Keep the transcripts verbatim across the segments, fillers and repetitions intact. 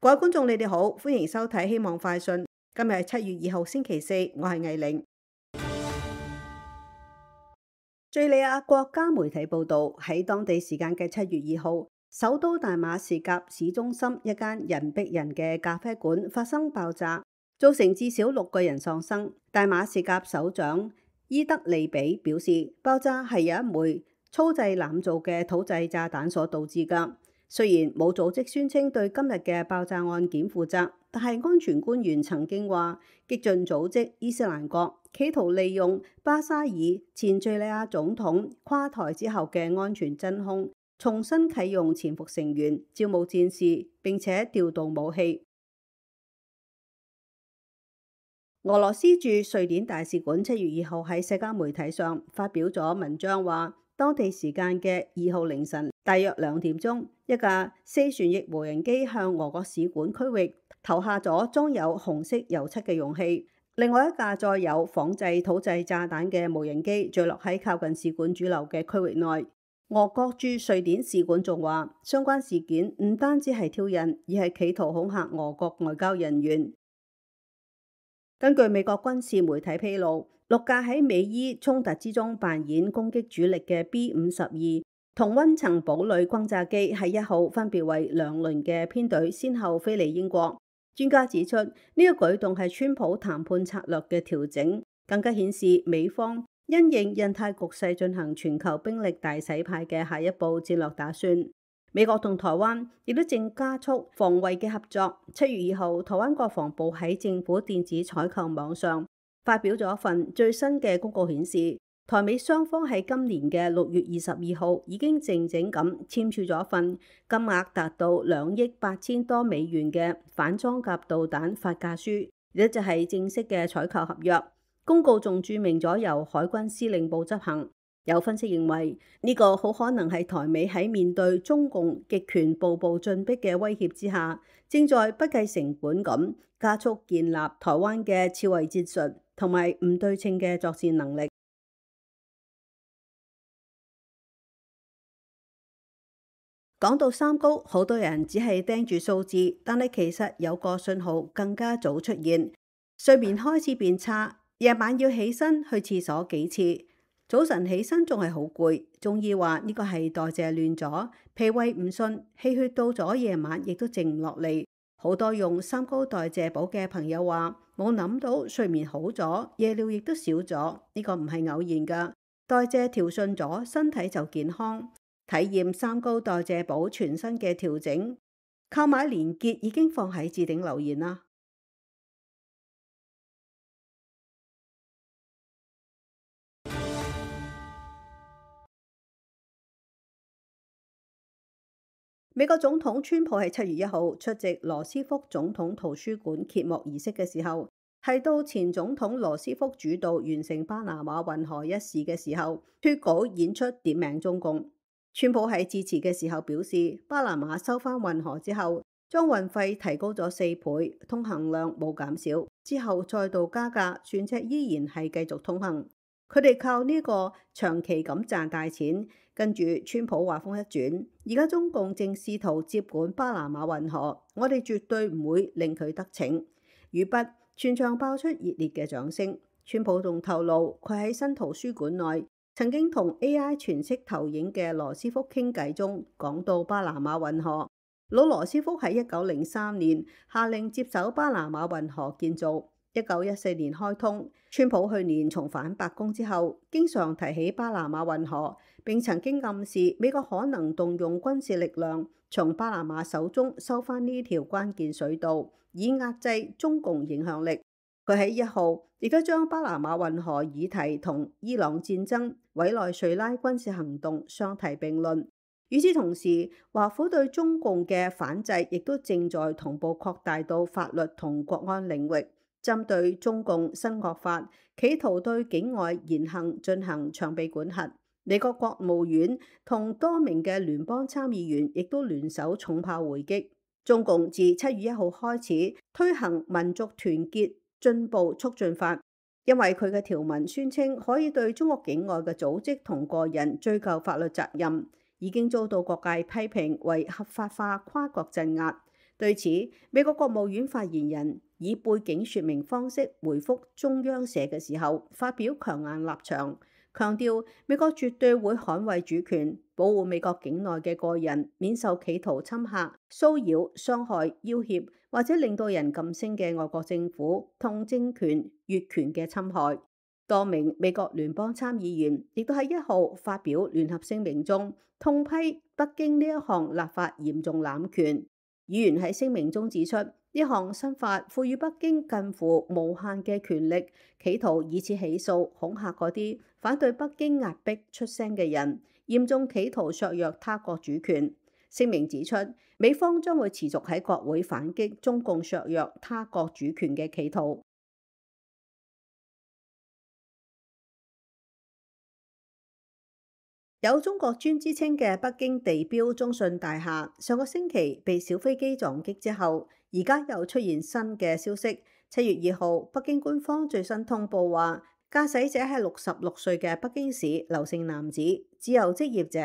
各位觀眾，你哋好，歡迎收睇《希望快訊》。今日係七月二號，星期四，我係藝玲。敘利亞國家媒體報道，喺當地時間嘅七月二號，首都大馬士革市中心一間人逼人嘅咖啡館發生爆炸，造成至少六個人喪生。大馬士革首長伊德利比表示，爆炸係有一枚粗製濫造嘅土製炸彈所導致㗎。雖然冇組織宣稱對今日嘅爆炸案件負責，但係安全官員曾經話，激進組織伊斯蘭國企圖利用巴沙爾前敘利亞總統垮台之後嘅安全真空，重新啟用潛伏成員、招募戰士，並且調動武器。俄羅斯駐瑞典大使館七月二號喺社交媒體上發表咗文章，話當地時間嘅二號凌晨大約兩點鐘，一架四旋翼無人機向俄國使館區域投下咗裝有紅色油漆嘅容器。另外一架載有仿製土製炸彈嘅無人機墜落喺靠近使館主樓嘅區域內。俄國駐瑞典使館仲話，相關事件唔單止係挑釁，而係企圖恐嚇俄國外交人員。根據美國軍事媒體披露，六架喺美伊衝突之中扮演攻擊主力嘅 B 五十二同溫層堡壘轟炸機喺一號分別為兩輪嘅編隊，先後飛離英國。專家指出，呢、這個舉動係川普談判策略嘅調整，更加顯示美方因應印太局勢進行全球兵力大洗牌嘅下一步戰略打算。美國同台灣亦都正加速防衛嘅合作。七月二號，台灣國防部喺政府電子採購網上發表咗一份最新嘅公告，顯示台美雙方喺今年嘅六月二十二號已經靜靜咁簽署咗一份金額達到兩億八千多美元嘅反裝甲導彈發價書，亦就係正式嘅採購合約。公告仲註明咗由海軍司令部執行。有分析認為，呢、這個好可能係台美喺面對中共極權步步進逼嘅威脅之下，正在不計成本咁加速建立台灣嘅超位戰術同埋唔對稱嘅作戰能力。講到三高，好多人只係盯住數字，但係其實有個信號更加早出現，睡眠開始變差，夜晚要起身去廁所幾次。早晨起身仲係好攰，中醫話呢個係代謝亂咗，脾胃唔順，氣血到咗夜晚亦都靜唔落嚟。好多用三高代謝補嘅朋友話，冇諗到睡眠好咗，夜尿亦都少咗，呢個唔係偶然噶。代謝調順咗，身體就健康。體驗三高代謝補全新嘅調整，購買連結已經放喺置頂留言啦。美國總統川普喺七月一號出席羅斯福總統圖書館揭幕儀式嘅時候，提到前總統羅斯福主導完成巴拿馬運河一事嘅時候，脫稿演出點名中共。川普喺致辭嘅時候表示，巴拿馬收返運河之後，將運費提高咗四倍，通行量冇減少，之後再度加價，船隻依然係繼續通行。佢哋靠呢個長期咁賺大錢。跟住川普話風一轉，而家中共正試圖接管巴拿馬運河，我哋絕對唔會令佢得逞。語畢，全場爆出熱烈嘅掌聲。川普仲透露，佢喺新圖書館內曾經同 A I 全息投影嘅羅斯福傾偈中，講到巴拿馬運河。老羅斯福喺一九零三年下令接手巴拿馬運河建造。一九一四年開通。川普去年重返白宮之後，經常提起巴拿馬運河，並曾經暗示美國可能動用軍事力量從巴拿馬手中收返呢條關鍵水道，以壓制中共影響力。佢喺一號亦都將巴拿馬運河議題同伊朗戰爭、委內瑞拉軍事行動相提並論。與此同時，華府對中共嘅反制亦都正在同步擴大到法律同國安領域。針對中共新惡法，企圖對境外言行進行長臂管轄。美國國務院同多名嘅聯邦參議員亦都聯手重炮回擊。中共自七月一號開始推行民族團結進步促進法，因為佢嘅條文宣稱可以對中國境外嘅組織同個人追究法律責任，已經遭到各界批評為合法化跨國鎮壓。對此，美國國務院發言人以背景説明方式回覆中央社嘅時候，發表強硬立場，強調美國絕對會捍衛主權，保護美國境內嘅個人免受企圖侵嚇、騷擾、傷害、要挾或者令到人噤聲嘅外國政府同政權越權嘅侵害。多名美國聯邦參議員亦都喺一號發表聯合聲明中，痛批北京呢一項立法嚴重濫權。議員喺聲明中指出，呢項新法賦予北京近乎無限嘅權力，企圖以此起訴、恐嚇嗰啲反對北京壓迫出聲嘅人，嚴重企圖削弱他國主權。聲明指出，美方將會持續喺國會反擊中共削弱他國主權嘅企圖。有中國尊之稱嘅北京地標中信大廈，上個星期被小飛機撞擊之後，而家又出現新嘅消息。七月二號，北京官方最新通報話，駕駛者係六十六歲嘅北京市劉姓男子，自由職業者，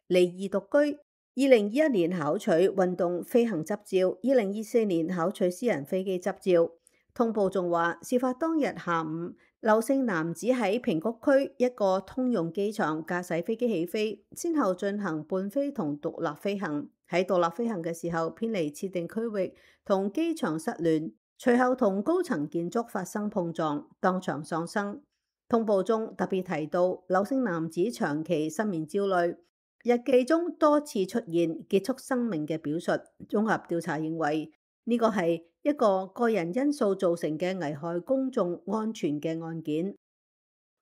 離異獨居。二零二一年考取運動飛行執照，二零二四年考取私人飛機執照。通報仲話，事發當日下午，劉姓男子喺平谷區一個通用機場駕駛飛機起飛，先後進行伴飛同獨立飛行。喺獨立飛行嘅時候偏離設定區域，同機場失聯，隨後同高層建築發生碰撞，當場喪生。通報中特別提到，劉姓男子長期失眠焦慮，日記中多次出現結束生命嘅表述。綜合調查認為，呢個係一個個人因素造成嘅危害公眾安全嘅案件，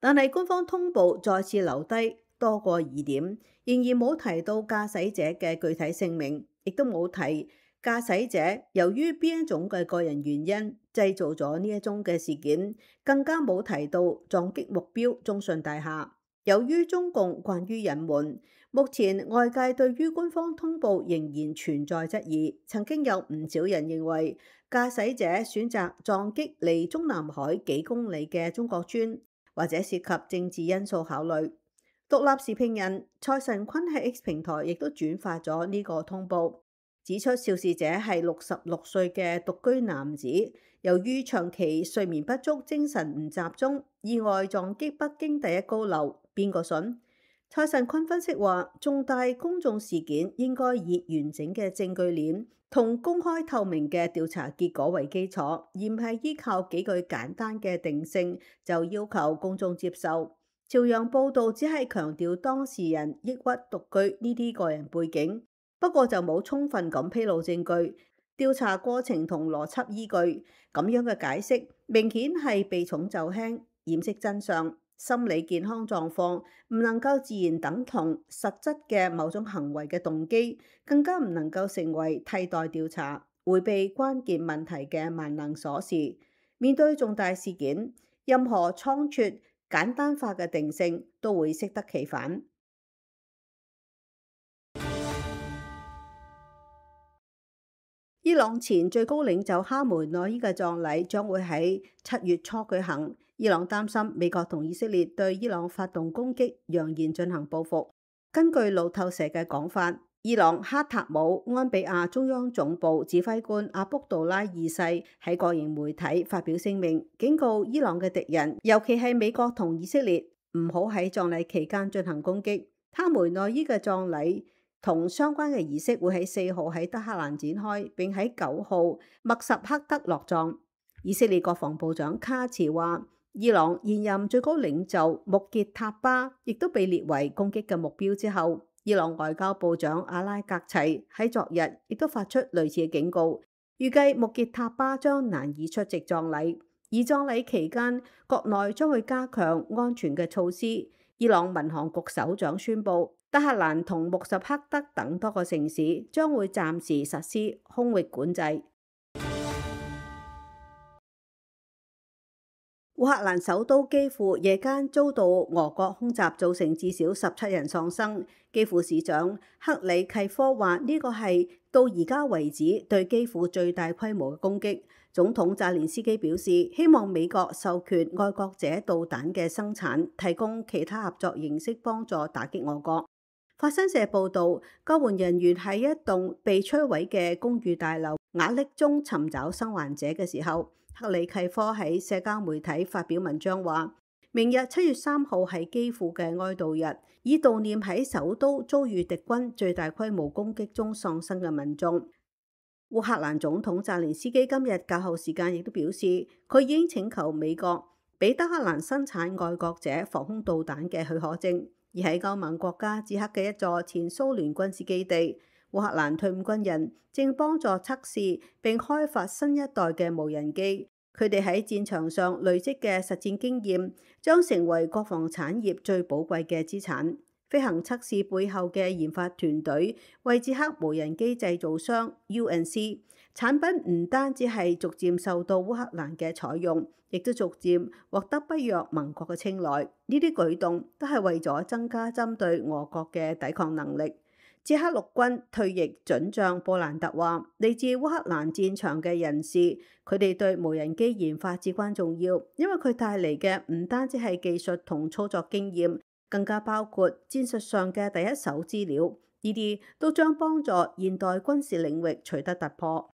但係官方通報再次留低多個疑點，仍然冇提到駕駛者嘅具體姓名，亦都冇提駕駛者由於邊一種嘅個人原因製造咗呢一宗嘅事件，更加冇提到撞擊目標中信大廈。由於中共慣於隱瞞，目前外界對於官方通報仍然存在質疑。曾經有唔少人認為駕駛者選擇撞擊離中南海幾公里嘅中國村，或者涉及政治因素考慮。獨立時評人蔡神坤喺 X 平台亦都轉發咗呢個通報，指出肇事者係六十六歲嘅獨居男子，由於長期睡眠不足、精神唔集中，意外撞擊北京第一高樓。邊個信？蔡神坤分析話，重大公眾事件應該以完整嘅證據鏈同公開透明嘅調查結果為基礎，而唔係依靠幾句簡單嘅定性就要求公眾接受。朝陽報道只係強調當事人抑鬱獨居呢啲個人背景，不過就冇充分咁披露證據、調查過程同邏輯依據。咁樣嘅解釋明顯係避重就輕，掩飾真相。心理健康狀況唔能夠自然等同實質嘅某種行為嘅動機，更加唔能夠成為替代調查、迴避關鍵問題嘅萬能鎖匙。面對重大事件，任何倉促、簡單化嘅定性都會適得其反。伊朗前最高領袖哈梅內伊嘅葬禮將會喺七月初舉行。伊朗擔心美國同以色列對伊朗發動攻擊，揚言進行報復。根據路透社嘅講法，伊朗哈塔姆安比亞中央總部指揮官阿卜杜拉二世喺個人媒體發表聲明，警告伊朗嘅敵人，尤其係美國同以色列，唔好喺葬禮期間進行攻擊。哈梅內伊嘅葬禮同相關嘅儀式會喺四號喺德黑蘭展開，並喺九號默什克德落葬。以色列國防部長卡茨話，伊朗現任最高領袖穆傑塔巴亦都被列為攻擊嘅目標之後，伊朗外交部長阿拉格齊喺昨日亦都發出類似嘅警告，預計穆傑塔巴將難以出席葬禮，而葬禮期間國內將會加強安全嘅措施。伊朗民航局首長宣布，德黑蘭同穆什克德等多個城市將會暫時實施空域管制。烏克蘭首都基輔夜間遭到俄國空襲，造成至少十七人喪生。基輔市長克里契科話：呢個係到而家為止對基輔最大規模嘅攻擊。總統澤連斯基表示，希望美國授權愛國者導彈嘅生產，提供其他合作形式幫助打擊俄國。法新社報導，救援人員喺一棟被摧毀嘅公寓大樓瓦礫中尋找生還者嘅時候，克里契科喺社交媒體發表文章話：明日七月三號係基輔嘅哀悼日，以悼念喺首都遭遇敵軍最大規模攻擊中喪生嘅民眾。烏克蘭總統澤連斯基今日較後時間亦都表示，佢已經請求美國俾德黑蘭生產愛國者防空導彈嘅許可證。而喺歐盟國家捷克嘅一座前蘇聯軍事基地，烏克蘭退伍軍人正幫助測試並開發新一代嘅無人機。佢哋喺戰場上累積嘅實戰經驗，將成為國防產業最寶貴嘅資產。飛行測試背後嘅研發團隊為捷克無人機製造商 U N C 產品，唔單止係逐漸受到烏克蘭嘅採用，亦都逐漸獲得北約盟國嘅青睞。呢啲舉動都係為咗增加針對俄國嘅抵抗能力。捷克陸軍退役准將布蘭特話：嚟自烏克蘭戰場嘅人士，佢哋對無人機研發至關重要，因為佢帶嚟嘅唔單止係技術同操作經驗，更加包括戰術上嘅第一手資料。呢啲都將幫助現代軍事領域取得突破。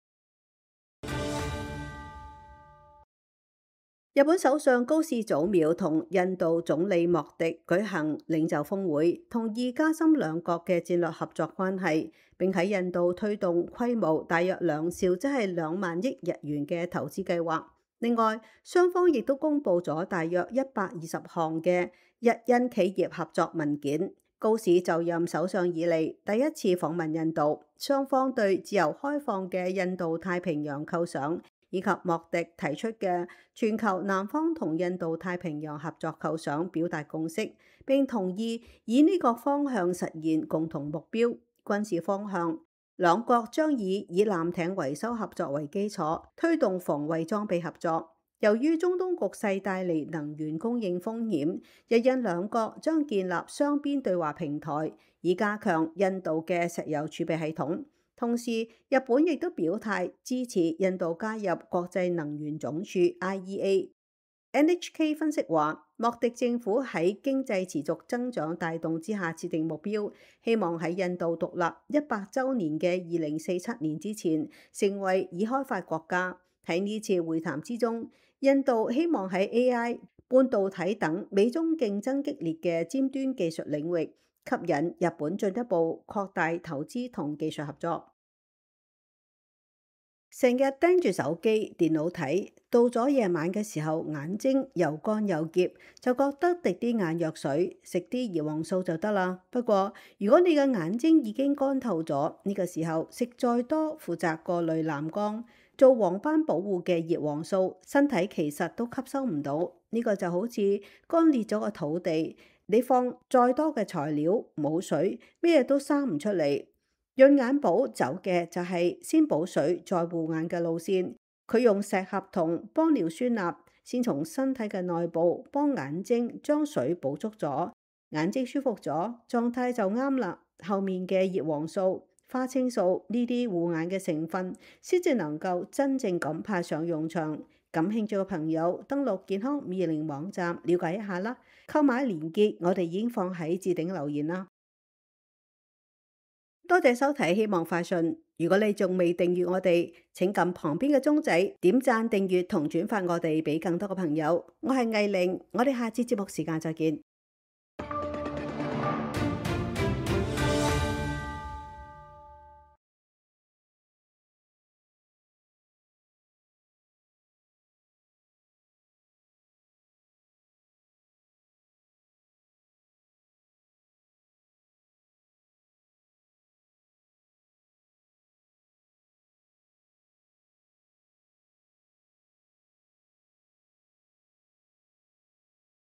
日本首相高市早苗同印度總理莫迪舉行領袖峰會，同意加深兩國嘅戰略合作關係，並喺印度推動規模大約兩兆，即係兩萬億日元嘅投資計劃。另外，雙方亦都公布咗大約一百二十項嘅日印企業合作文件。高市就任首相以嚟第一次訪問印度，雙方對自由開放嘅印度太平洋構想，以及莫迪提出嘅全球南方同印度太平洋合作構想表達共識，並同意以呢個方向實現共同目標。軍事方向，兩國將以以艦艇維修合作為基礎，推動防衛裝備合作。由於中東局勢帶嚟能源供應風險，日印兩國將建立雙邊對話平台，以加強印度嘅石油儲備系統。同時，日本亦都表態支持印度加入國際能源總署 I E A。N H K 分析話，莫迪政府喺經濟持續增長帶動之下設定目標，希望喺印度獨立一百週年嘅二零四七年之前成為已開發國家。喺呢次會談之中，印度希望喺 A I、半導體等美中競爭激烈嘅尖端技術領域吸引日本進一步擴大投資同技術合作。成日盯住手機、電腦睇，到咗夜晚嘅時候，眼睛又乾又澀，就覺得滴啲眼藥水，食啲葉黃素就得啦。不過，如果你嘅眼睛已經乾透咗，呢個時候食再多負責過濾藍光、做黃斑保護嘅葉黃素，身體其實都吸收唔到。呢個就好似乾裂咗個土地，你放再多嘅材料，冇水，咩都生唔出嚟。潤眼寶走嘅就係先補水再護眼嘅路線，佢用石合同幫尿酸鈉先從身體嘅內部幫眼睛將水補足咗，眼睛舒服咗，狀態就啱啦。後面嘅葉黃素、花青素呢啲護眼嘅成分，先至能夠真正咁派上用場。感興趣嘅朋友登錄健康五二零網站了解一下啦，購買連結我哋已經放喺置頂留言啦。多謝收睇，希望快訊。如果你仲未訂閱我哋，請撳旁邊嘅鐘仔，點讚、訂閱同轉發我哋俾更多嘅朋友。我係藝玲，我哋下次節目時間再見。